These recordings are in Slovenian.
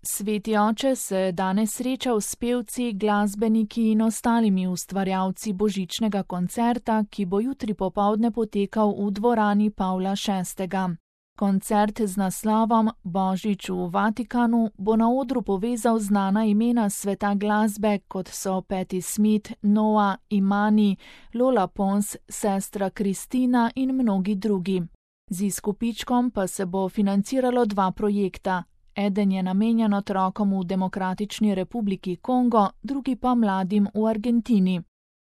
Sveti oče se danes srečal s pevci, glasbeniki in ostalimi ustvarjalci božičnega koncerta, ki bo jutri popoldne potekal v dvorani Pavla VI. Koncert z naslovom Božič v Vatikanu bo na odru povezal znana imena sveta glasbe, kot so Patti Smith, Noah, Imani, Lola Pons, sestra Kristina in mnogi drugi. Z izkupičkom pa se bo financiralo 2 projekta. Eden je namenjen otrokom v Demokratični republiki Kongo, drugi pa mladim v Argentini.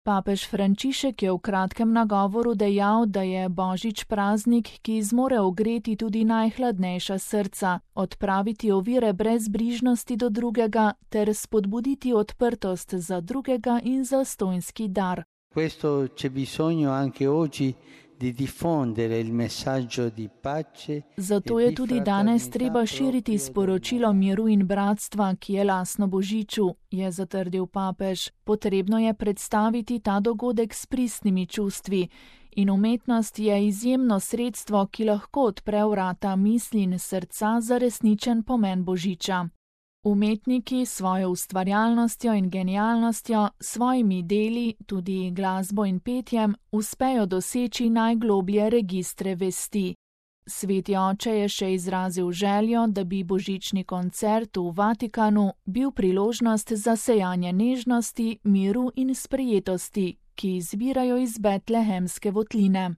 Papež Frančišek je v kratkem nagovoru dejal, da je Božič praznik, ki zmore ogreti tudi najhladnejša srca, odpraviti ovire brezbrižnosti do drugega ter spodbuditi odprtost za drugega in zastonjski dar. Questo c'è bisogno anche oggi di diffondere il messaggio di pace. Zato je tudi danes treba širiti sporočilo miru in bratstva, ki je lastno Božiču, je zatrdil papež. Potrebno je predstaviti ta dogodek s pristnimi čustvi. In umetnost je izjemno sredstvo, ki lahko odpre vrata misli in srca za resničen pomen Božiča. Umetniki s svojo ustvarjalnostjo in genialnostjo, svojimi deli, tudi glasbo in petjem, uspejo doseči najgloblje registre vesti. Sveti oče je še izrazil željo, da bi božični koncert v Vatikanu bil priložnost za sejanje nežnosti, miru in sprejetosti, ki izvirajo iz betlehemske votline.